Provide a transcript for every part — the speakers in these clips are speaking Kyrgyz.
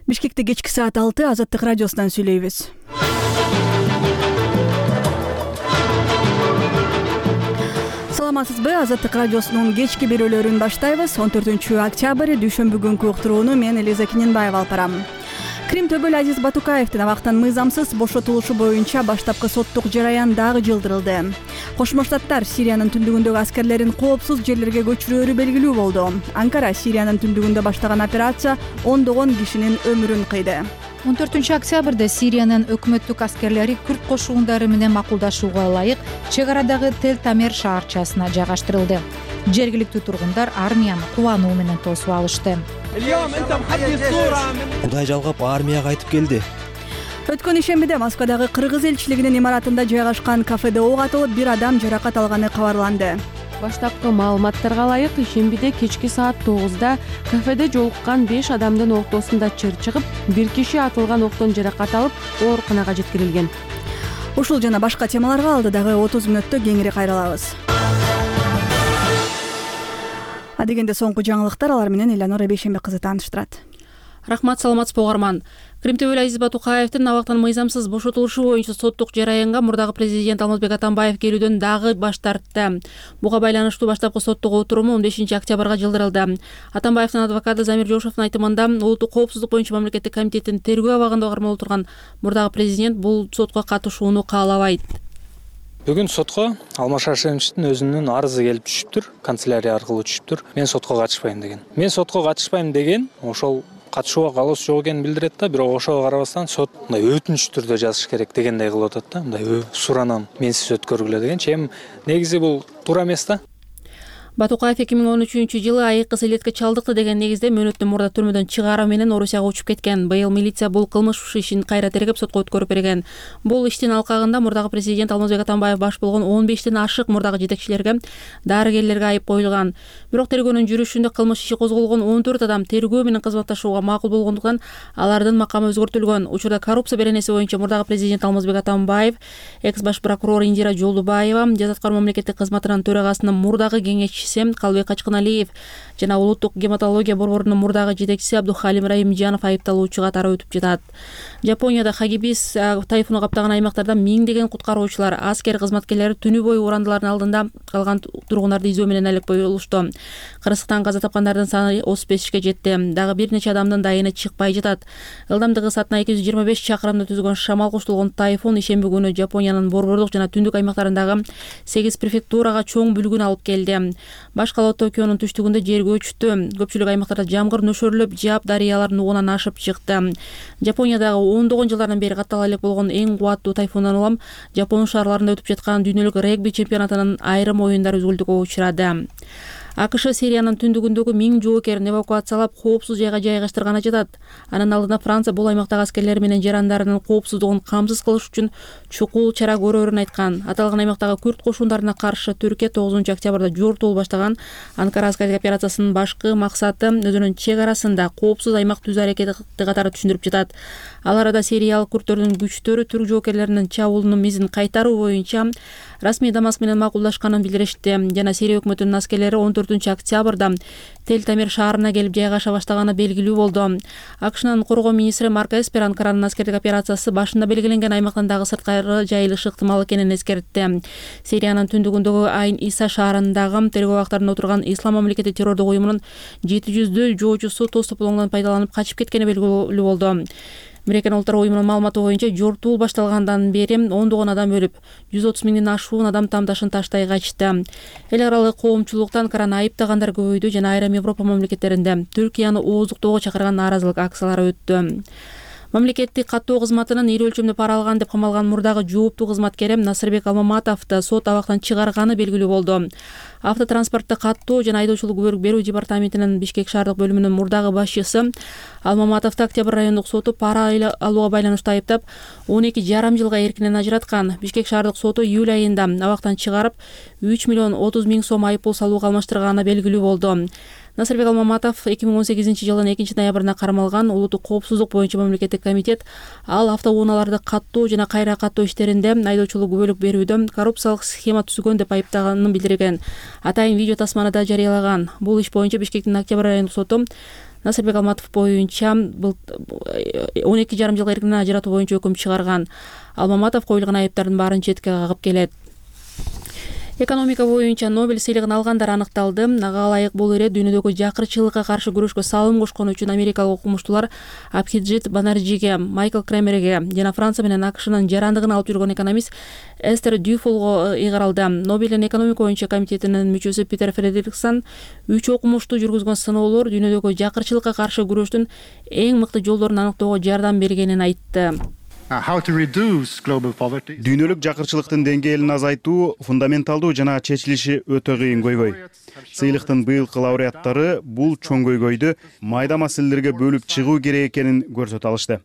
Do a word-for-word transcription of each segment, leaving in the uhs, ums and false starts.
Бишкекте кечки саат алты Азаттык радиосунан сүйлөйбүз. Саламатсызбы? Азаттык радиосунун кечки берүүлөрүн баштайбыз. он төртүнчү октябрь дүйшөмбү күнкү уктурууну мен Элиза Киненбаева алып барам. Крим төбөл Азиз Батукаевдин абактан мыйзамсыз бошотулушу боюнча баштапкы соттук жараян дагы жылдырылды. Кошмо Штаттар Сириянын түндүгүндөгү аскерлерин коопсуз жерлерге көчүрөөрү белгилүү болду. Анкара Сириянын түндүгүндө баштаган операция ондогон кишинин өмүрүн кыйды. он төртүнчү октябрда Сириянын өкмөттүк аскерлери күрд кошуундары менен макулдашууга ылайык чек арадагы Тел-Тамер шаарчасына жайгаштырылды. Жергиликтүү тургундар армияны кубануу менен тосуп алышты. Кудай жалгап армия кайтып келди. Өткөн ишембиде Москвадагы Кыргыз элчилигинин имаратында жайгашкан кафеде ок атылып, бир адам жаракат алганы кабарланды. Баштапкы маалыматтарга ылайык, ишембиде кечки саат тогузда кафеде жолуккан беш адамдын ортосунда чыр чыгып, бир киши атылган октон жаракат алып, ооруканага жеткирилген. Ушул жана башка темаларга алдыдагы отуз мүнөттө кеңири кайрылабыз. Адегенде соңку жаңылыктар, алар менен Эланора Бейшембек кызы тааныштырат. Рахмат, саламатсызбы угарман. Крим төбөл Азиз Батукаевдин абактан мыйзамсыз бошотулушу боюнча соттук жараянга мурдагы президент Алмазбек Атамбаев келүүдөн дагы баш тартты. Буга байланыштуу баштапкы соттук отуруму он бешинчи октябрга жылдырылды. Атамбаевдин адвокаты Замир Жошовдун айтымында, улуттук коопсуздук боюнча мамлекеттик комитеттин тергөө абагында кармалып турган мурдагы президент бул сотко катышууну каалабайт. Бүгүн сотко Алмаз Шаршемовичтин өзүнүн арызы келип түшүптүр, канцелярия аркылуу түшүптүр. Мен сотко катышпайм деген. Мен сотко катышпайм деген ошол катышууга каалоосу жок экенин билдирет да, бирок ошого карабастан сот мындай өтүнүч түрдө жазыш керек дегендей кылып атат да. Мындай суранам менсиз өткөргүлө дегенчи. Эми негизи бул туура эмес да. Батукаев эки миң он үчүнчү жылы айыккы селетке чалдыкты деген негизде мөөнөттөн мурда түрмөдөн чыгаруу менен Орусияга учуп кеткен. Быйыл милиция бул кылмыш ишин кайра тергеп сотко өткөрүп берген. Бул иштин алкагында мурдагы президент Алмазбек Атамбаев баш болгон он бештен ашык мурдагы жетекчилерге, дарыгерлерге айып коюлган. Бирок тергөөнүн жүрүшүндө кылмыш иши козголгон он төрт адам тергөө менен кызматташууга макул болгондуктан алардын макамы өзгөртүлгөн. Учурда коррупция беренеси боюнча мурдагы президент Алмазбек Атамбаев, экс баш прокурор Индира Жолдубаева, Жаза аткаруу мамлекеттик кызматынын төрагасынын мурдагы кеңешчиси Калбек Качкыналиев жана улуттук гематология борборунун мурдагы жетекчиси Абдухалим Раимжанов айыпталуучу катары өтүп жатат. Жапонияда Хагибис тайфуну каптаган аймактарда миңдеген куткаруучулар, аскер кызматкерлери түнү бою урандылардын алдында калган тургундарды издөө менен алек болушту. Кырсыктан каза тапкандардын саны отуз бешке жетти. Дагы бир нече адамдын дайыны чыкпай жатат. Ылдамдыгы саатына эки жүз жыйырма беш чакырымды түзгөн шамал куштулган тайфун ишемби күнү Жапониянын борбордук жана түндүк аймактарындагы сегиз префектурага чоң бүлгүн алып келди. Башкала Токионун түштүгүндө жер көчтү. Көпчүлүк аймактарда жамгыр нөшөрлөп, жаап дарыялар нугунан ашып чыкты. Жапониядагы ондогон жылдардан бери каттала элек болгон эң кубаттуу тайфундан улам Жапон шаарларында өтүп жаткан дүйнөлүк регби чемпионатынын айрым оюндары үзгүлтүккө учурады. АКШ Сириянын түндүгүндөгү миң жоокерин эвакуациялап, коопсуз жайга жайгаштырганы жатат. Анын алдында Франция бул аймактагы аскерлер менен жарандарынын коопсуздугун камсыз кылыш үчүн чукул чара көрөрүн айткан. Аталган аймактагы күрд кошундарына каршы Түркия тогузунчу октябрда жортуул баштаган Анкара аскердик операциясынын башкы максаты өзүнүн чек арасында коопсуз аймак түзүү аракети катары түшүндүрүп жатат. Ал арада сириялык күрдтөрдүн күчтөрү түрк жоокерлеринин чабуулунун мизин кайтаруу боюнча расмий Дамаск менен макулдашканын билдиришти жана Сирия өкмөтүнүн аскерлери он төртүнчү октябрда Тел-Тамер шаарына келип жайгаша баштаганы белгилүү болду. АКШнын коргоо министри Марк Эспер Анкаранын аскердик операциясы башында белгиленген аймактан дагы сырткары жайылышы ыктымал экенин эскертти. Сириянын түндүгүндөгү Айн Иса шаарындагы тергөө абактарында отурган Ислам мамлекети террордук уюмунун жети жүздөй жоочусу тоз тополоңдон пайдаланып качып кеткени белгилүү болду. Мерекенин улуттар уюмунун маалыматы боюнча жортуул башталгандан бери ондогон адам өлүп, жүз отуз миңден ашуун адам тамдашын таштай качты. Эл аралык коомчулуктан Анкараны айыптагандар көбөйдү жана айрым Европа мамлекеттеринде Түркияны ооздуктоого чакырган нааразылык акциялары өттү. Мамлекеттик каттоо кызматынын ири өлчөмдө пара алган деп камалган мурдагы жооптуу кызматкери Насырбек Алмаматовду сот абактан чыгарганы белгилүү болду. Автотранспортто каттоо жана айдоочулук күбөлүк берүү департаментинин Бишкек шаардык бөлүмүнүн мурдагы башчысы Алмаматовду Октябрь райондук соту пара алууга байланыштуу айыптап, он эки жарым жылга эркинен ажыраткан. Бишкек шаардык соту июль айында абактан чыгарып, үч миллион отуз миң сом айып пул салууга алмаштырганы белгилүү болду. Насырбек Алмаматов эки миң он сегизинчи жылдын экинчи ноябрында кармалган. Улуттук коопсуздук боюнча мамлекеттик комитет ал автоунааларды каттоо жана кайра каттоо иштеринде айдоочулук күбөлүк берүүдө коррупциялык схема түзгөн деп айыптаганын билдирген. Атайын видео тасманы да жарыялаган. Бул иш боюнча Бишкектин Октябрь райондук соту Насырбек Алматов боюнча бул он эки жарым жылга эркинен ажыратуу боюнча өкүм чыгарган ал Маматов коюлган айыптардын баарын четке кагып келет. Экономика боюнча Нобель сыйлыгын алгандар аныкталды. Ага ылайык бул ире дүйнөдөгү жакырчылыкка каршы күрөшкө салым кошкон үчүн америкалык окумуштуулар Абхиджит Банерджиге, Майкл Кремерге жана Франция менен АКШнын жарандыгын алып жүргөн экономист Эстер Дюфолго ыйгаралды. Нобелдин экономика боюнча комитетинин мүчөсү Питер Фредериксон үч окумуштуу жүргүзгөн сыноолор дүйнөдөгү жакырчылыкка каршы күрөштүн эң мыкты жолдорун аныктоого жардам бергенин айтты. Дүйнөлүк жакырчылыктын деңгээлин азайтуу фундаменталдуу жана чечилиши өтө кыйын көйгөй. Сыйлыктын быйылкы лауреаттары бул чоң көйгөйдү майда маселелерге бөлүп чыгуу керек экенин көрсөтө алышты.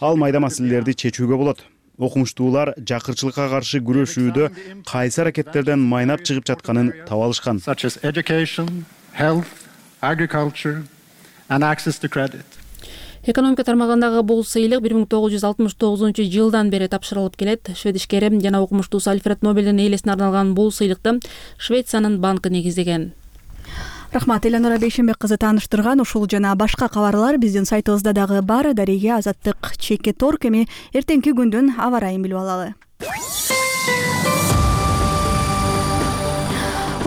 Ал майда маселелерди чечүүгө болот. Окумуштуулар жакырчылыкка каршы күрөшүүдө кайсы аракеттерден майнап чыгып жатканын таап алышкан. Экономика тармагындагы бул сыйлык бир миң тогуз жүз алтымыш тогузунчу жылдан бери тапшырылып келет. Швед ишкери жана окумуштуусу Альфред Нобелдин ээлесине арналган бул сыйлыкты Швециянын банкы негиздеген. Рахмат, Эленора Бейшенбек кызы тааныштырган ушул жана башка кабарлар биздин сайтыбызда дагы бар. Дареге Азаттык чекке торк эми эртеңки күндүн аба ырайын билип алалы.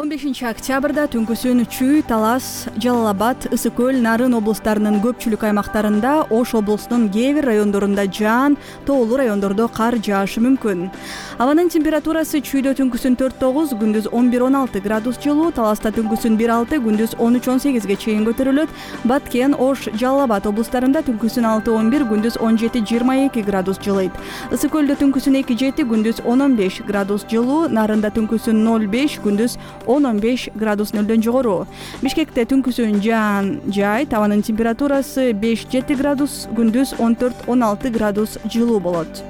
он бешинчи октябрда түнкүсүн Чүй, Талас, Жалал Абад, Ысык көл, Нарын облустарынын көпчүлүк аймактарында, Ош облусунун кээ бир райондорунда жаан, тоолуу райондордо кар жаашы мүмкүн. Абанын температурасы Чүйдө түнкүсүн төрт тогуз, күндүз он бир он алты градус жылуу, Таласта түнкүсүн бир алты, күндүз он үч он сегизге чейин көтөрүлөт. Баткен, Ош, Жалал Абад облустарында түнкүсүн алты он бир, күндүз он жети жыйырма эки градус жылыйт. Ысык көлдө түнкүсүн эки жети, күндүз он он беш градус жылуу, Нарында түнкүсүн ноль беш, күндүз он он беш градус нөлдөн жогору. Бишкекте түнкүсүн жаан жайт, абанын температурасы беш жети градус, күндүз он төрт он алты градус жылуу болот.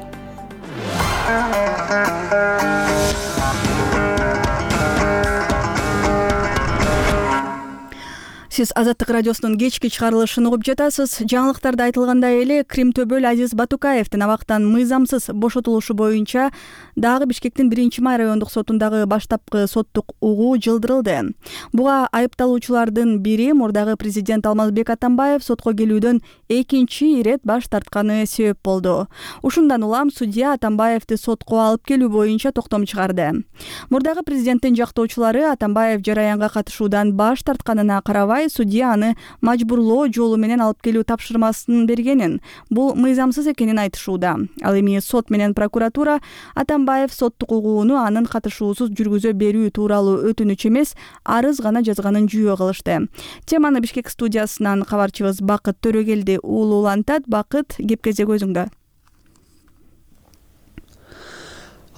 Сиз Азаттык радиосунун кечки чыгарылышын угуп жатасыз. Жаңылыктарда айтылгандай эле Крим төбөл Азиз Батукаевдин абактан мыйзамсыз бошотулушу боюнча дагы Бишкектин биринчи май райондук сотундагы баштапкы соттук угуу жылдырылды. Буга айыпталуучулардын бири мурдагы президент Алмазбек Атамбаев сотко келүүдөн экинчи ирет баш тартканы себеп болду. Ушундан улам судья Атамбаевди сотко алып келүү боюнча токтом чыгарды. Мурдагы президенттин жактоочулары Атамбаев жараянга катышуудан баш тартканына карабай, судья аны мажбурлоо жолу менен алып келүү тапшырмасын бергенин, бул мыйзамсыз экенин айтышууда. Ал эми сот менен прокуратура Атамбаев соттук угууну анын катышуусуз жүргүзө берүү тууралуу өтүнүч эмес, арыз гана жазганын жүйө кылышты. Теманы Бишкек студиясынан кабарчыбыз Бакыт Төрөгелди уулуулантат. Бакыт, кеп кезек өзүңдө.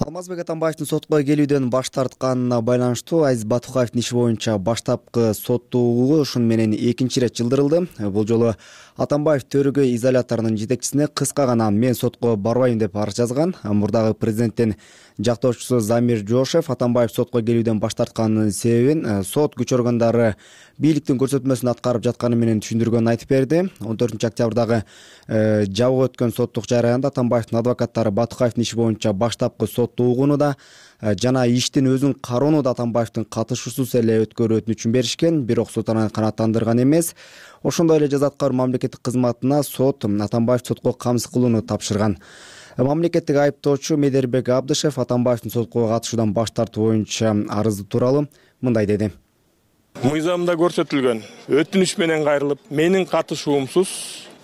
Алмазбек Атамбаевдин сотко келүүдөн баш тартканына байланыштуу Азиз Батукаевдин иши боюнча баштапкы соттук угуу ушун менен экинчи ирет жылдырылды. Бул жолу Атамбаев төрөгөй изоляторунун жетекчисине кыска гана мен сотко барбайм деп арыз жазган. Мурдагы президенттин жактоочусу Замир Жошев Атамбаев сотко келүүдөн баш тартканынын себебин сот күч органдары бийликтин көрсөтмөсүн аткарып жатканы менен түшүндүргөнүн айтып берди. он төртүнчү октябрдагы жабык өткөн соттук жараянда Атамбаевдин адвокаттары Батукаевдин иши боюнча баштапкы соттук угууну да жана иштин өзүн кароону да Атамбаевдин катышуусуз эле өткөрүү өтүнүчүн беришкен, бирок сот аны канааттандырган эмес. Ошондой эле жаза аткаруу мамлекеттик кызматына сот Атамбаев сотко камсыз кылууну тапшырган. Мамлекеттик айыптоочу Медербек Абдышев Атамбаевдин сотко катышуудан баш тартуу боюнча арызы тууралуу мындай деди. Мыйзамда көрсөтүлгөн өтүнүч менен кайрылып, менин катышуумсуз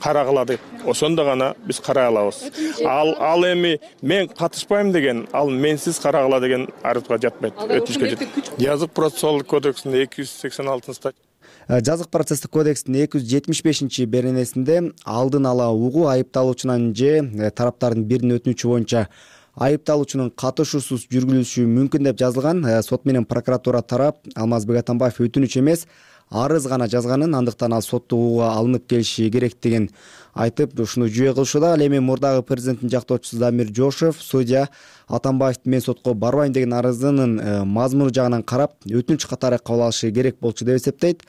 карагыла деп, ошондо гана биз карай алабыз. Ал ал эми мен катышпайм деген, ал менсиз карагыла деген арызга жатпайт, өтүнүчкө жатат. Жазык процессуалдык кодексинде эки жүз сексен алтынчы статья. Жазык процесстик кодекстин эки жүз жетимиш бешинчи беренесинде алдын ала угуу айыпталуучунун же тараптардын биринин өтүнүчү боюнча айыпталуучунун катышуусуз жүргүзүлүшү мүмкүн деп жазылган. Сот менен прокуратура тарап Алмазбек Атамбаев өтүнүч эмес, арыз гана жазганын, андыктан ал соттук угууга алынып келиши керектигин айтып, ушуну жүйө кылышууда. Ал эми мурдагы президенттин жактоочусу Замир Жошев судья Атамбаевдин мен сотко барбайм деген арызынын мазмуну жагынан карап, өтүнүч катары кабыл алышы керек болчу деп эсептейт.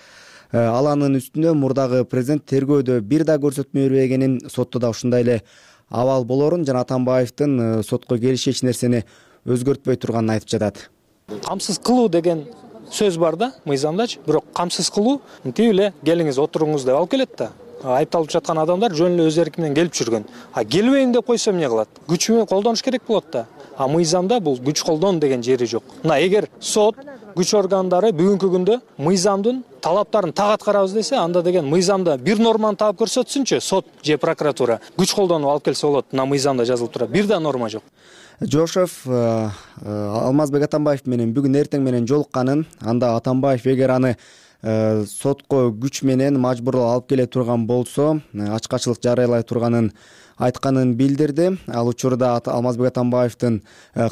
Ал анын үстүнө мурдагы президент тергөөдө бир да көрсөтмө бербегенин, сотто да ушундай эле абал болорун жана Атамбаевдин сотко келиши эч нерсени өзгөртпөй турганын айтып жатат. Камсыз кылуу деген сөз бар да мыйзамдачы, бирок камсыз кылуу тип эле келиңиз отуруңуз деп алып келет да. Айыпталып жаткан адамдар жөн эле өз эрки менен келип жүргөн. А келбейин деп койсо эмне кылат? Күч менен колдонуш керек болот да. А мыйзамда бул күч колдон деген жери жок. Мына эгер сот, күч органдары бүгүнкү күндө мыйзамдын талаптарын так аткарабыз десе, анда деген мыйзамда бир норманы таап көрсөтсүнчү сот же прокуратура. Күч колдонуп алып келсе болот. Мына мыйзамда жазылып турат. Бир да норма жок. Жошев Алмазбек Атамбаев менен бүгүн эртең менен жолукканын, анда Атамбаев эгер аны сотко күч менен мажбурлап алып келе турган болсо, ачкачылык жарыялай турганын айтканын билдирди. Ал учурда Алмазбек Атамбаевдин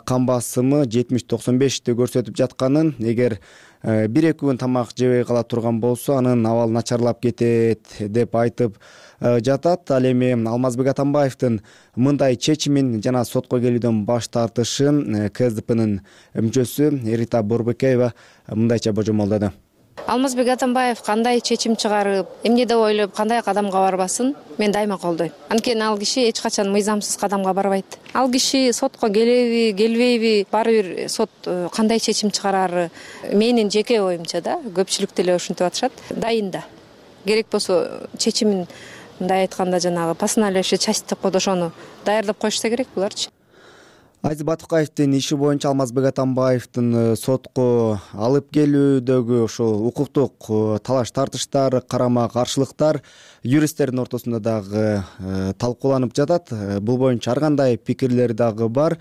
кан басымы жетимиш токсон бешти көрсөтүп жатканын, эгер бир эки күн тамак жебей кала турган болсо, анын абалы начарлап кетет деп айтып жатат. Ал эми Алмазбек Атамбаевдин мындай чечимин жана сотко келүүдөн баш тартышын КСДПнын мүчөсү Рита Борбекеева мындайча божомолдоду. Алмазбек Атамбаев кандай чечим чыгарып, эмне деп ойлоп, кандай кадамга барбасын, мен дайыма колдойм. Анткени ал киши эч качан мыйзамсыз кадамга барбайт. Ал киши сотко келеби, келбейби, баары бир сот кандай чечим чыгарары менин жеке оюмча да, көпчүлүк деле ушинтип атышат. Дайын да. Керек болсо чечимин мындай айтканда жанагы постановляющая часть деп коет, ошону даярдап коюшса керек буларчы. Азиз Батукаевдин иши боюнча Алмазбек Атамбаевдин сотко алып келүүдөгү ошол укуктук талаш тартыштар, карама каршылыктар юристтердин ортосунда дагы талкууланып жатат. Бул боюнча ар кандай пикирлер дагы бар.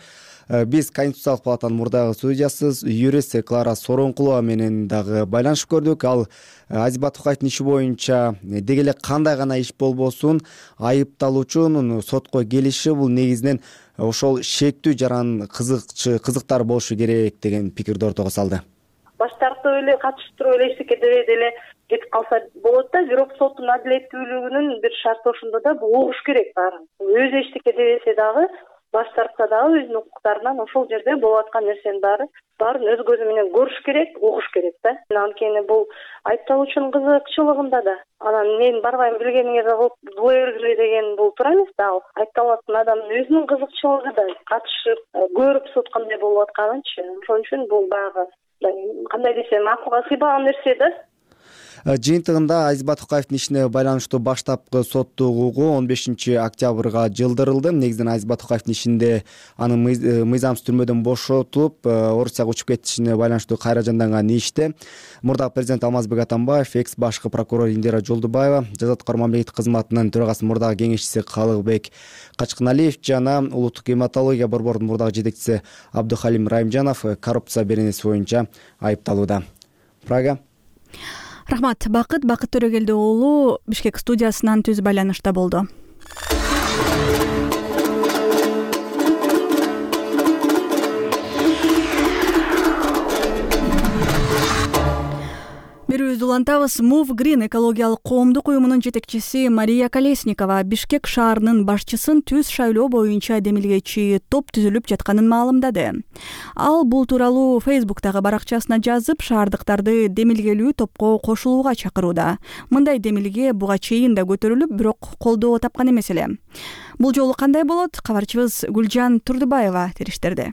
Биз Конституциялык палатанын мурдагы судьясы юрист Клара Соронкулова менен дагы байланышып көрдүк. Ал Азиз Батукаевдин иши боюнча деги эле кандай гана иш болбосун, айыпталуучунун сотко келиши бул негизинен ошол шектүү жаран кызыкчы кызыктар болушу керек деген пикирди ортого салды. Баш тартып эле катышып туруп эле эчтеке дебей деле кетип калса болот да, бирок соттун адилеттүүлүгүнүн бир шарты ошондо да, бул угуш керек баарын. Өзү эчтеке дебесе дагы, баш тартса дагы өзүнүн укуктарынан ошол жерде болуп аткан нерсенин баары баарын өз көзү менен көрүш керек, угуш керек да. Анткени бул айыпталуучунун кызыкчылыгында да. Анан мен барбайм билгениңерде кылып дулай бергиле деген бул туура эмес да. Ал айыпталып аткан адамдын өзүнүн кызыкчылыгы да, катышып көрүп сот кандай болуп атканынчы. Ошон үчүн бул баягы кандай десем, акылга сыйбаган нерсе да. Жыйынтыгында Азиз Батукаевдин ишине байланыштуу баштапкы соттуу угуу он бешинчи октябрга жылдырылды. Негизинен Азиз Батукаевдин ишинде анын мыйзамсыз түрмөдөн бошотулуп, Орусияга учуп кетишине байланыштуу кайра жанданган иште мурдагы президент Алмазбек Атамбаев, экс башкы прокурор Индира Жолдубаева, Жаза аткаруу мамлекеттик кызматынын төрагасы мурдагы кеңешчиси Калыкбек Качкыналиев жана улуттук гематология борборунун мурдагы жетекчиси Абдухалим Райымжанов коррупция беренеси боюнча айыпталууда. Прага. Рахмат. Бакыт Бакыт Төрөгелди уулу Бишкек студиясынан түз байланышта болду. Берүүбүздү улантабыз. Move Green экологиялык коомдук уюмунун жетекчиси Мария Колесникова Бишкек шаарынын башчысын түз шайлоо боюнча демилгечи топ түзүлүп жатканын маалымдады. Ал бул тууралуу Facebook'тагы баракчасына жазып, шаардыктарды демилгелүү топко кошулууга чакырууда. Мындай демилге буга чейин да көтөрүлүп, бирок колдоо тапкан эмес эле. Бул жолу кандай болот? Кабарчыбыз Гүлжан Турдубаева териштирди.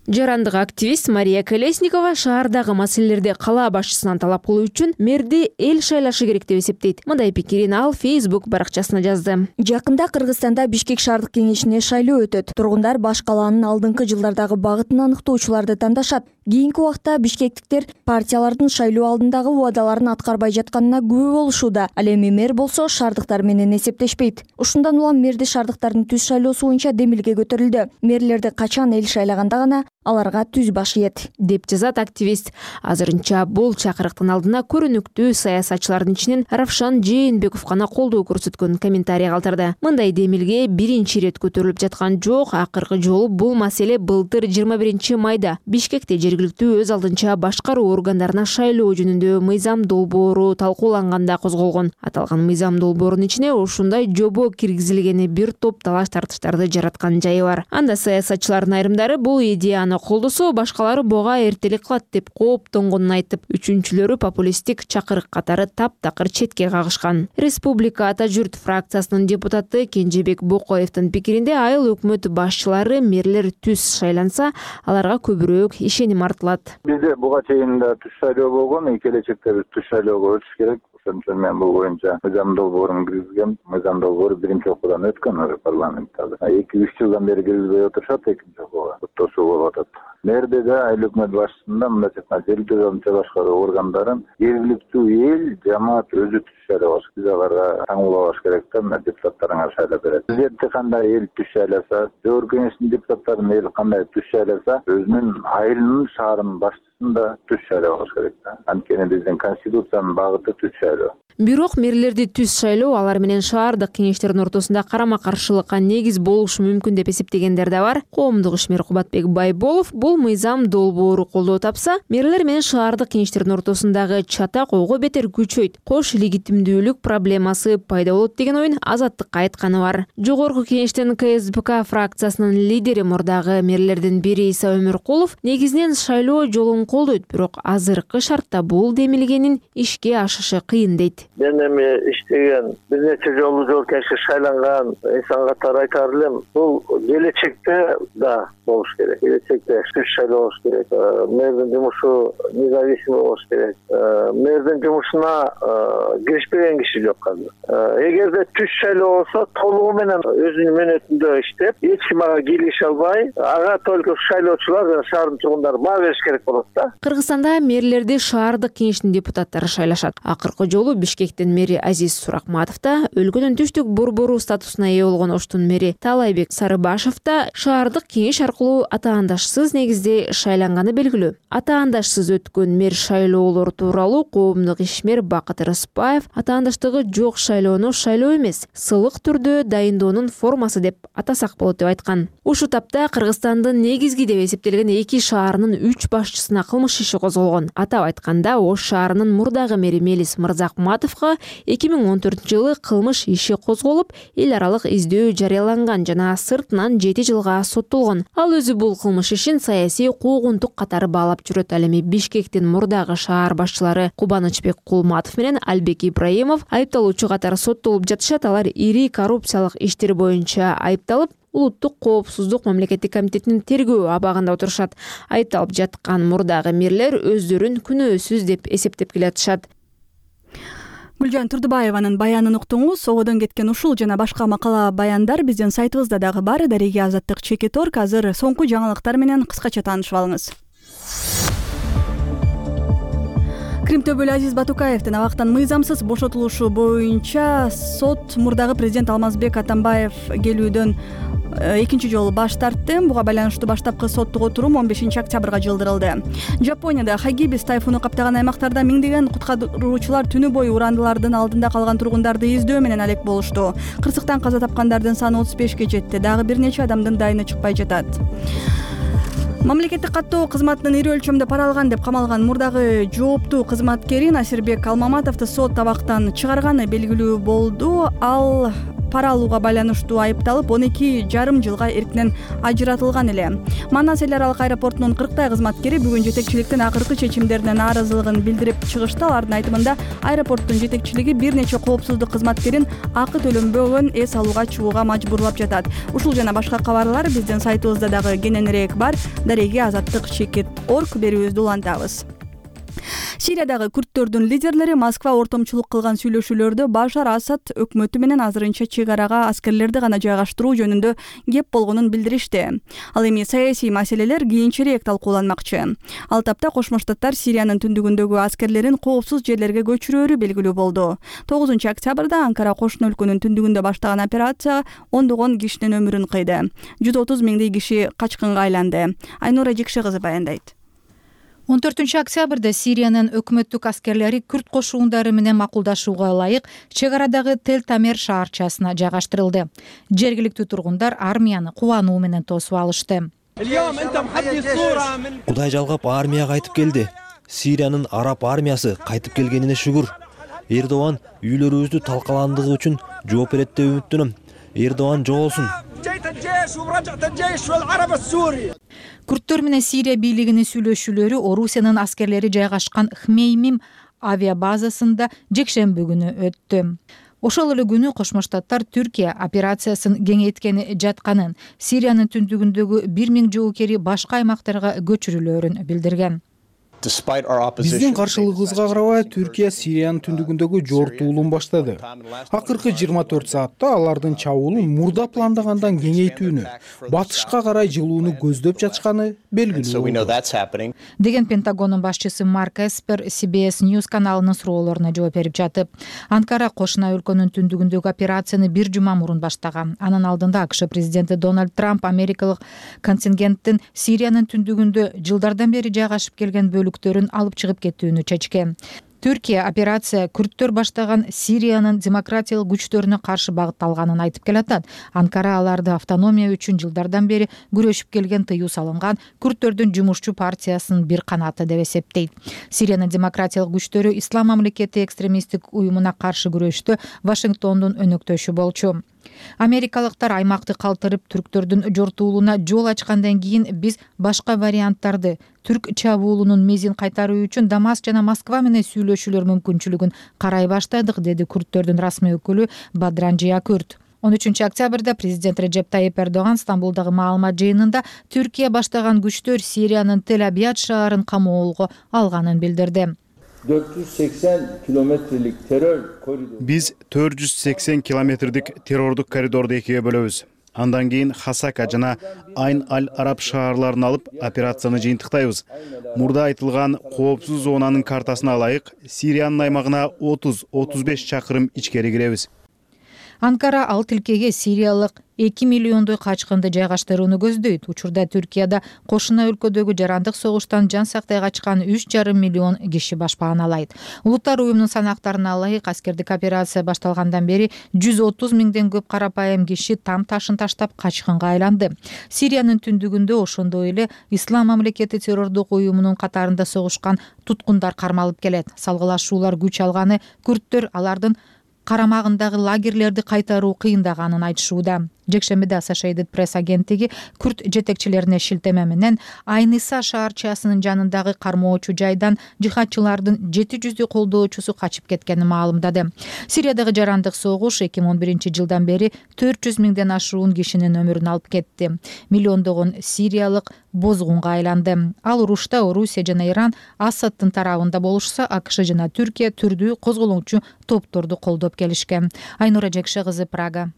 Жарандык активист Мария Колесникова шаардагы маселелерди кала башчысынан талап кылуу үчүн мэрди эл шайлашы керек деп эсептейт. Мындай пикирин ал Facebook баракчасына жазды. Жакында Кыргызстанда Бишкек шаардык кеңешине шайлоо өтөт. Тургундар баш калаанын алдыңкы жылдардагы багытын аныктоочуларды тандашат. Кийинки убакта бишкектиктер партиялардын шайлоо алдындагы убадаларын аткарбай жатканына күбө болушууда. Ал эми мэр болсо шаардыктар менен эсептешпейт. Ушундан улам мэрди шаардыктардын түз шайлоосу боюнча демилге көтөрүлдү. Мэрлерди качан эл шайлаганда гана аларга түз баш ийет, деп жазат активист. Азырынча бул чакырыктын алдына көрүнүктүү саясатчылардын ичинен Равшан Жээнбеков гана колдоо көрсөткөн комментарий калтырды. Мындай демилге биринчи ирет көтөрүлүп жаткан жок. Акыркы жолу бул маселе былтыр жыйырма биринчи майда Бишкекте жергиликтүү өз алдынча башкаруу органдарына шайлоо жөнүндө мыйзам долбоору талкууланганда козголгон. Аталган мыйзам долбоорунун ичине ушундай жобо киргизилгени бир топ талаш тартыштарды жараткан жайы бар. Анда саясатчылардын айрымдары бул идеяны гана колдосо, башкалары буга эртелик кылат деп кооптонгонун айтып, үчүнчүлөрү популисттик чакырык катары таптакыр четке кагышкан. Республика Ата журт фракциясынын депутаты Кенжебек Бокоевдин пикиринде, айыл өкмөт башчылары мэрлер түз шайланса, аларга көбүрөөк ишеним артылат. Бизде буга чейин да түз шайлоо болгон, келечекте биз түз шайлоого өтүш керек. Ошон үчүн мен бул боюнча мыйзам долбоорун киргизгем. Мыйзам долбоору биринчи окуудан өткөн парламентте. эки үч жылдан бери киргизбей отурушат экинчи окууга. Тоосуу болуп атат. Мэрде да айыл өкмөт башчысында мындай жергиликтүү башкаруу органдарын жергиликтүү эл, жамаат өзү түз шайлабаш. Биз аларга таңуулабаш керек да, депутаттарыңар шайлап берет. Президентти кандай эл түз шайласа, жогорку кеңештин депутаттарын эл кандай түз шайласа, өзүнүн айылынын, шаарынын башчысын да түз шайлабаш керек да. Анткени биздин конституциянын багыты түз шайлоо. Бирок мэрлерди түз шайлоо алар менен шаардык кеңештердин ортосунда карама-каршылыкка негиз болушу мүмкүн деп эсептегендер да бар. Коомдук ишмер Кубатбек Байболов бул мыйзам долбоору колдоо тапса, мэрлер менен шаардык кеңештердин ортосундагы чатак ого бетер күчөйт, кош легитимдүүлүк проблемасы пайда болот деген оюн Азаттыкка айтканы бар. Жогорку кеңештин ка эс бэ ка фракциясынын лидери мурдагы мэрлердин бири Иса Өмүркулов негизинен шайлоо жолун колдойт, бирок азыркы шартта бул демилгенин ишке ашышы кыйын дейт. Мен эми иштеген бир нече жолу жогорку кеңешке шайланган инсан катары айтар элем, бул келечекте да болуш керек. Келечекте түз шайлоо болуш керек. Мэрдин жумушу независимый болуш керек. Мэрдин жумушуна киришпеген киши жок азыр. Эгерде түз шайлоо болсо, толугу менен өзүнүн мөөнөтүндө иштеп, эч ким ага кийлигише албай, ага только шайлоочулар жана шаардын тургундары баа бериш керек болот да. Кыргызстанда мэрлерди шаардык кеңештин депутаттары шайлашат. Акыркы жолу Бишкектин мэри Азиз Суракматов да, өлкөнүн түштүк борбору статусуна ээ болгон Оштун мэри Таалайбек Сарыбашев да шаардык кеңеш аркылуу атаандашсыз негизде шайланганы белгилүү. Атаандашсыз өткөн мэр шайлоолор тууралуу коомдук ишмер Бакыт Рыспаев атаандаштыгы жок шайлоону шайлоо эмес, сылык түрдө дайындоонун формасы деп атасак болот деп айткан. Ушул тапта Кыргызстандын негизги деп эсептелген эки шаарынын үч башчысына кылмыш иши козголгон. Атап айтканда, Ош шаарынын мурдагы мэри Мелис Мырзакматовго эки миң он төртүнчү жылы кылмыш иши козголуп, эл аралык издөө жарыяланган жана сыртынан жети жылга соттолгон. Ал өзү бул кылмыш ишин саясий куугунтук катары баалап жүрөт. Ал эми Бишкектин мурдагы шаар башчылары Кубанычбек Кулматов менен Албек Ибраимов айыпталуучу катары соттолуп жатышат. Алар ири коррупциялык иштер боюнча айыпталып, Улуттук коопсуздук мамлекеттик комитетинин тергөө абагында отурушат. Айыпталып жаткан мурдагы мэрлер өздөрүн күнөөсүз деп эсептеп келатышат. Гүлжан Турдубаеванын баянын уктуңуз. Ободон кеткен ушул жана башка макала баяндар биздин сайтыбызда дагы бар. Дареги Азаттык чекит точка орг. Азыр соңку жаңылыктар менен кыскача таанышып алыңыз. Крим төбөлү Азиз Батукаевдин абактан мыйзамсыз бошотулушу боюнча сот мурдагы президент Алмазбек Атамбаев келүүдөн экинчи жолу баш тартты. Буга байланыштуу баштапкы соттук отурум он бешинчи октябрга жылдырылды. Жапонияда Хагибис тайфуну каптаган аймактарда миңдеген куткаруучулар түнү бою урандылардын алдында калган тургундарды издөө менен алек болушту. Кырсыктан каза тапкандардын саны отуз бешке жетти. Дагы бир нече адамдын дайыны чыкпай жатат. Мамлекеттик каттоо кызматынын ири өлчөмдө пара алган деп камалган мурдагы жооптуу кызматкери Насирбек Алмаматовду сот абактан чыгарганы белгилүү болду. Ал пара алууга байланыштуу айыпталып, он эки жарым жылга эркинен ажыратылган эле. Манас эл аралык аэропортунун кырктай кызматкери бүгүн жетекчиликтин акыркы чечимдерине нааразылыгын билдирип чыгышты. Алардын айтымында, аэропорттун жетекчилиги бир нече коопсуздук кызматкерин акы төлөнбөгөн эс алууга чыгууга мажбурлап жатат. Ушул жана башка кабарлар биздин сайтыбызда дагы кененирээк бар. Дареги Азаттык чекит точка орг берүүбүздү улантабыз. Сириядагы күрттөрдүн лидерлери Москва ортомчулук кылган сүйлөшүүлөрдө Башар Асад өкмөтү менен азырынча чек арага аскерлерди гана жайгаштыруу жөнүндө кеп болгонун билдиришти. Ал эми саясий маселелер кийинчерээк талкууланмакчы. Ал тапта Кошмо Штаттар Сириянын түндүгүндөгү аскерлерин коопсуз жерлерге көчүрөөрү белгилүү болду. тогузунчу октябрда Анкара кошуна өлкөнүн түндүгүндө баштаган операция ондогон кишинин өмүрүн кыйды. жүз отуз миңдей киши качкынга айланды. Айнура Жекше кызы баяндайт. он төртүнчү октябрда Сириянын өкмөттүк аскерлери күрт кошуундары менен макулдашууга ылайык чек арадагы Тел-Тамер шаарчасына жайгаштырылды. Жергиликтүү тургундар армияны кубануу менен тосуп алышты. Кудай жалгап армия кайтып келди. Сириянын араб армиясы кайтып келгенине шүгүр. Эрдоган үйлөрүбүздү талкаландыгы үчүн жооп берет деп үмүттөнөм. Эрдоган жоголсун. Курдтөр менен Сирия бийлигинин сүйлөшүүлөрү Орусиянын аскерлери жайгашкан Хмеймим авиабазасында жекшемби күнү өттү. Ошол эле күнү Кошмо Штаттар Түркия операциясын кеңейткени жатканын, Сириянын түндүгүндөгү бир миң жоокери башка аймактарга көчүрүлөөрүн билдирген. Биздин каршылыгыбызга карабай Түркия Сириянын түндүгүндөгү жортуулун баштады. Акыркы жыйырма төрт саатта алардын чабуулун мурда пландагандан кеңейтүүнү, батышка карай жылууну көздөп жатышканы белгилүү болду, деген Пентагондун башчысы Марк Эспер Си Би Эс News каналынын суроолоруна жооп берип жатып, Анкара кошуна өлкөнүн түндүгүндөгү операцияны бир жума мурун баштаган. Анын алдында АКШ президенти Дональд Трамп америкалык контингенттин Сириянын түндүгүндө жылдардан бери жайгашып келген бөлүктөрүн алып чыгып кетүүнү чечкен. Түркия операция күрттөр баштаган Сириянын демократиялык күчтөрүнө каршы багытталганын айтып келатат. Анкара аларды автономия үчүн жылдардан бери күрөшүп келген тыюу салынган күрттөрдүн жумушчу партиясынын бир канаты деп эсептейт. Сириянын демократиялык күчтөрү Ислам мамлекети экстремисттик уюмуна каршы күрөштө Вашингтондун өнөктөшү болчу. Америкалыктар аймакты калтырып түрктөрдүн жортуулуна жол ачкандан кийин биз башка варианттарды, түрк чабуулунун мезин кайтаруу үчүн Дамаск жана Москва менен сүйлөшүүлөр мүмкүнчүлүгүн карай баштадык, деди күрттөрдүн расмий өкүлү Бадран Жиякүрт. он үчүнчү октябрда президент Реджеп Тайип Эрдоган Стамбулдагы маалымат жыйынында Түркия баштаган күчтөр Сириянын Тель-Абияд шаарын камоолго алганын билдирди. dört yüz seksen kilometrelik terör koridoru. Биз төрт жүз сексен километрдик террордук коридорду экиге бөлөбүз. Андан кийин Хасака жана Айн-аль-Араб шаарларын алып операцияны жыйынтыктайбыз. Мурда айтылган коопсуз зонанын картасына ылайык Сириянын аймагына отуз отуз беш чакырым ичкери киребиз. Анкара ал тилкеге сириялык эки миллиондой качкынды жайгаштырууну көздөйт. Учурда Түркияда кошуна өлкөдөгү жарандык согуштан жан сактай качкан үч жарым миллион киши башпааналайт. Улуттар уюмунун санактарына ылайык аскердик операция башталгандан бери жүз отуз миңден көп карапайым киши там ташын таштап качкынга айланды. Сириянын түндүгүндө ошондой эле Ислам мамлекети террордук уюмунун катарында согушкан туткундар кармалып келет. Салгылашуулар күч алганы, күрттөр алардын карамагындагы лагерлерди кайтаруу кыйындаганын айтышууда. Жекшембиде Associated Press агенттиги күрт жетекчилерине шилтеме менен Айниса шаарчасынын жанындагы кармоочу жайдан жихадчылардын жети жүздөй колдоочусу качып кеткенин маалымдады. Сириядагы жарандык согуш эки миң он биринчи жылдан бери төрт жүз миңден ашуун кишинин өмүрүн алып кетти. Миллиондогон сириялык бозгунга айланды. Ал урушта Орусия жана Иран Асадтын тарабында болушса, АКШ жана Түркия түрдүү козголоңчу топторду колдоп келишкен. Айнура Жекше кызы, Прага.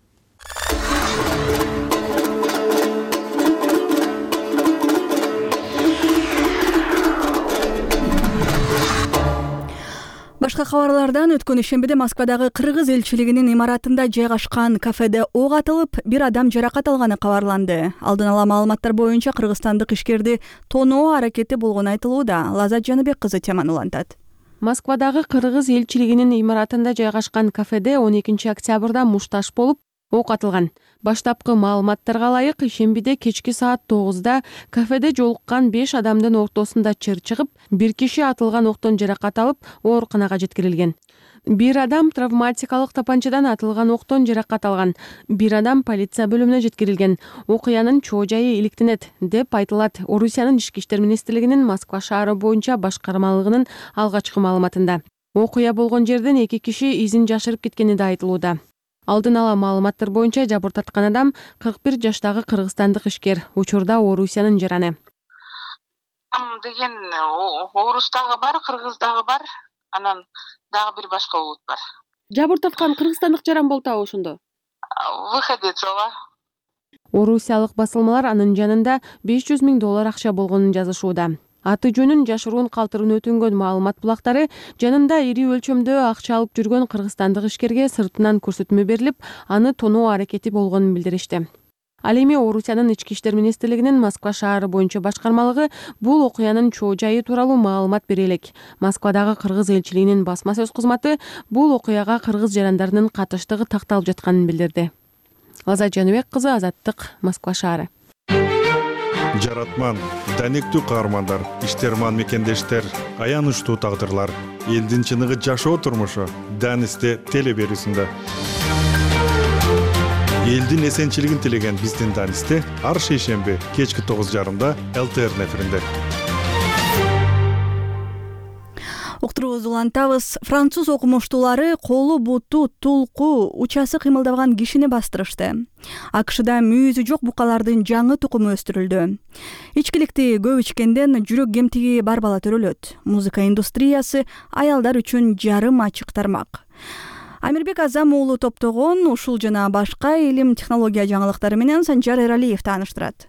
Башка кабарлардан өткөн ишембиде Москвадагы кыргыз элчилигинин имаратында жайгашкан кафеде ок атылып, бир адам жаракат алганы кабарланды. Алдын ала маалыматтар боюнча кыргызстандык ишкерди тоноо аракети болгону айтылууда. Лазат Жаныбек кызы теманы улантат. Москвадагы кыргыз элчилигинин имаратында жайгашкан кафеде он экинчи октябрда мушташ болуп ок атылган. Баштапкы маалыматтарга ылайык, ишембиде кечки саат тогузда кафеде жолуккан беш адамдын ортосунда чыр чыгып, бир киши атылган октон жаракат алып, ооруканага жеткирилген. Бир адам травматикалык тапанчадан атылган октон жаракат алган. Бир адам полиция бөлүмүнө жеткирилген. Окуянын чоо жайы иликтенет деп айтылат Орусиянын ички иштер министрлигинин Москва шаары боюнча башкармалыгынын алгачкы маалыматында. Окуя болгон жерден эки киши изин жашырып кеткени да айтылууда. Алдын ала маалыматтар боюнча жабыр тарткан адам кырк бир жаштагы кыргызстандык ишкер, учурда Орусиянын жараны. Деген орус дагы бар, кыргыз дагы бар, анан дагы бир башка улут бар. Жабыр тарткан кыргызстандык жаран болтабы ошондо? Выходец ооба. Орусиялык басылмалар анын жанында беш жүз миң доллар акча болгонун жазышууда. Аты жөнүн жашыруун калтырууну өтүнгөн маалымат булактары жанында ири өлчөмдө акча алып жүргөн кыргызстандык ишкерге сыртынан көрсөтмө берилип, аны тоноо аракети болгонун билдиришти. Ал эми Орусиянын ички иштер министрлигинин Москва шаары боюнча башкармалыгы бул окуянын чоо жайы тууралуу маалымат бере элек. Москвадагы кыргыз элчилигинин басма сөз кызматы бул окуяга кыргыз жарандарынын катыштыгы такталып жатканын билдирди. Лазат Жаныбек кызы, Азаттык, Москва шаары. Жаратман, данектүү каармандар, иштерман мекендештер, аянычтуу тагдырлар, элдин чыныгы жашоо турмушу Данисте теле берүүсүндө. элдин эсенчилигин тилеген биздин данисте ар шейшемби кечки тогуз жарымда эл тэ эр эфиринде. Уктуруубузду улантабыз. Француз окумуштуулары колу, буту, тулку, учасы кыймылдабаган кишини бастырышты. АКШда мүйүзү жок букалардын жаңы тукуму өстүрүлдү. Ичкиликти көп ичкенден жүрөк кемтиги бар бала төрөлөт. Музыка индустриясы аялдар үчүн жарым ачык тармак. Амирбек Азам уулу топтогон ушул жана башка илим технология жаңылыктары менен Санжар Эралиев тааныштырат.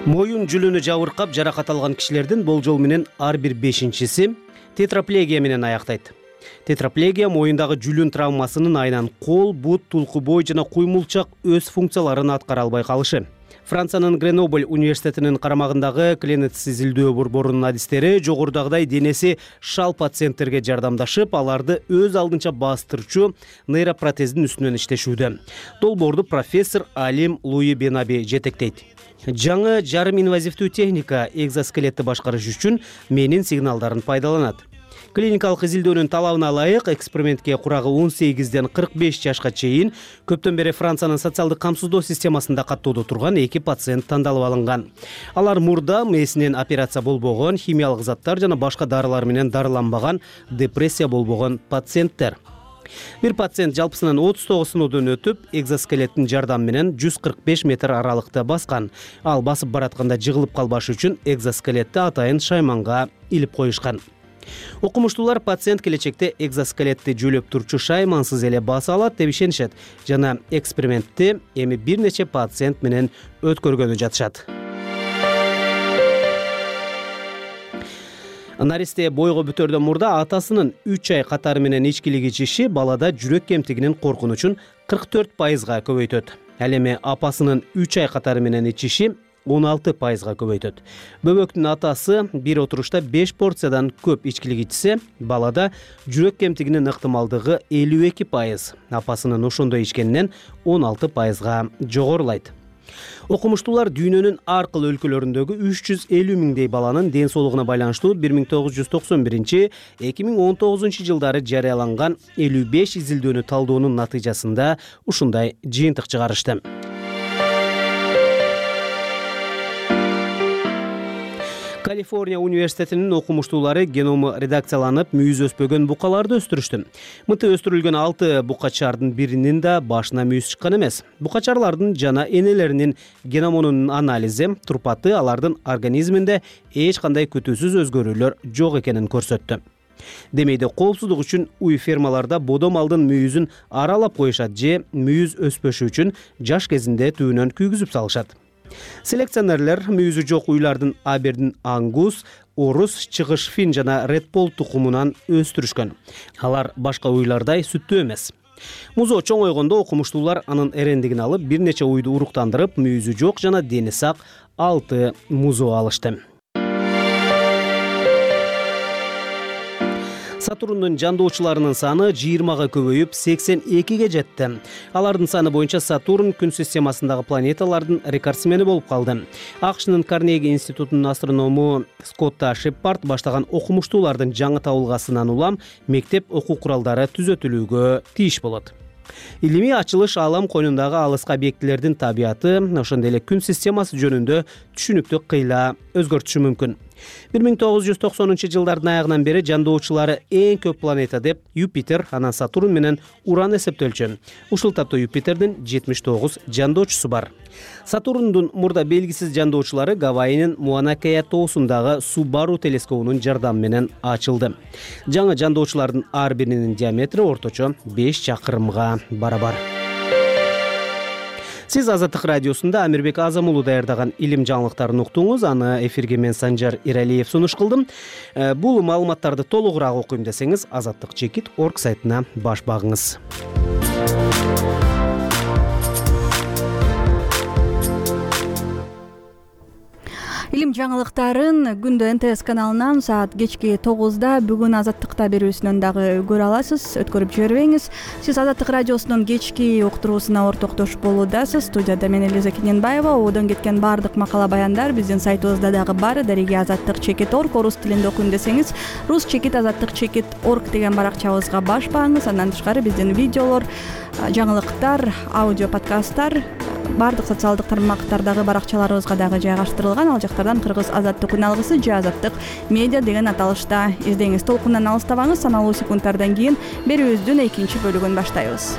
Моюн жүлүнү жабыркап жаракат алган кишилердин болжол менен ар бир бешинчиси тетраплегия менен аяктайт. Тетраплегия моюндагы жүлүн травмасынын айынан кол, бут, тулку бой жана куймулчак өз функцияларын аткара албай калышы. Франциянын Гренобль университетинин карамагындагы Клинец изилдөө борборунун адистери жогорудагыдай денеси шал пациенттерге жардамдашып, аларды өз алдынча бастырчу нейропротездин үстүнөн иштешүүдө. Долбоорду профессор Алим Луи Бенаби жетектейт. Жаңы жарым инвазивдүү техника экзоскелетти башкарыш үчүн менин сигналдарын пайдаланат. Клиникалык изилдөөнүн талабына ылайык экспериментке курагы он сегизден кырк беш жашка чейин көптөн бери Франциянын социалдык камсыздоо системасында каттоодо турган эки пациент тандалып алынган. Алар мурда мээсинен операция болбогон, химиялык заттар жана башка дарылар менен дарыланбаган, депрессия болбогон пациенттер. Бир пациент жалпысынан отуз тогуз сыноодон өтүп, экзоскелеттин жардамы менен жүз кырк беш метр аралыкта баскан. Ал басып баратканда жыгылып калбаш үчүн экзоскелетти атайын шайманга илип коюшкан. Окумуштуулар пациент келечекте экзоскелетти жөлөп турчу шаймансыз эле баса алат деп ишенишет жана экспериментти эми бир нече пациент менен өткөргөнү жатышат. Наристе бойго бүтөрдөн мурда атасынын үч ай катары менен ичкилик ичиши балада жүрөк кемтигинин коркунучун кырк төрт пайызга көбөйтөт. Ал эми апасынын үч ай катары менен ичиши он алты пайызга көбөйтөт. Бөбөктүн атасы бир отурушта беш порциядан көп ичкилик ичсе, балада жүрөк кемтигинин ыктымалдыгы элүү эки пайыз, апасынын ошондой ичкенинен он алты пайызга жогорулайт. Окумуштуулар дүйнөнүн ар кыл өлкөлөрүндөгү үч жүз элүү миңдей баланын ден соолугуна байланыштуу бир миң тогуз жүз токсон биринчи — эки миң он тогузунчу жылдары жарыяланган элүү беш изилдөөнү талдоонун натыйжасында ушундай жыйынтык чыгарышты. Калифорния университетинин окумуштуулары геному редакцияланып, мүйүз өспөгөн букаларды өстүрүштү. Мынтип өстүрүлгөн алты букачардын биринин да башына мүйүз чыккан эмес. Букачарлардын жана энелеринин геномунун анализи турпаты алардын организминде эч кандай күтүүсүз өзгөрүүлөр жок экенин көрсөттү. Демейде коопсуздук үчүн уй фермаларда бодо малдын мүйүзүн аралап коюшат же мүйүз өспөшү үчүн жаш кезинде түбүнөн күйгүзүп салышат. Селекционерлер мүйүзү жок уйлардын Абердин ангус, орус, чыгыш фин жана редпол тукумунан өстүрүшкөн. Алар башка уйлардай сүттүү эмес. Музоо чоңойгондо окумуштуулар анын эрендигин алып, бир нече уйду уруктандырып, мүйүзү жок жана дени сак алты музоо алышты. Сатурндун жандоочуларынын саны жыйырмага көбөйүп сексен экиге жетти. Алардын саны боюнча Сатурн күн системасындагы планеталардын рекордсмени болуп калды. АКШнын Карнеги институтунун астроному Скотта Шепард баштаган окумуштуулардын жаңы табылгасынан улам мектеп окуу куралдары түзөтүлүүгө тийиш болот. Илимий ачылыш алам койнундагы алыскы объектилердин табияты, ошондой эле күн системасы жөнүндө түшүнүктү кыйла өзгөртүшү мүмкүн. бир миң тогуз жүз токсонунчу жылдардын аягынан бери жандоочулары эң көп планета деп Юпитер, анан Сатурн менен Уран эсептелчү. Ушул тапта Юпитердин жетимиш тогуз жандоочусу бар. Сатурндун мурда белгисиз жандоочулары Гавайинин Муанакея тоосундагы Субару телескопунун жардамы менен ачылды. Жаңы жандоочулардын ар биринин диаметри орточо беш чакырымга барабар. Сиз Азаттык радиосунда Амирбек Азам уулу даярдаган илим жаңылыктарын уктуңуз. Аны эфирге мен Санжар Иралиев сунуш кылдым. Бул маалыматтарды толугураак окуйм десеңиз, азаттык чекит точка орг сайтына баш багыңыз. Илим жаңылыктарын күндө эн тэ эс каналынан саат кечки тогузда бүгүн азаттыкта берүүсүнөн дагы көрө аласыз. Өткөрүп жибербеңиз. Сиз Азаттык радиосунун кечки уктуруусуна ортоктош болуудасыз. Студияда мен Элиза Кененбаева. Одон кеткен баардык макала баяндар биздин сайтыбызда дагы бар. Дареги азаттык чекит орг орус тилинде окуйм десеңиз, рус чекит азаттык чекит орг деген баракчабызга башпаңыз. Андан тышкары биздин видеолор, жаңылыктар, аудио подкасттар баардык социалдык тармактардагы баракчаларыбызга дагы жайгаштырылган. Ал жактардан кыргыз азаттык күн алгысы же азаттык медиа деген аталышта издеңиз. Толкундан алыстабаңыз. Саналуу секундтардан кийин берүүбүздүн экинчи бөлүгүн баштайбыз.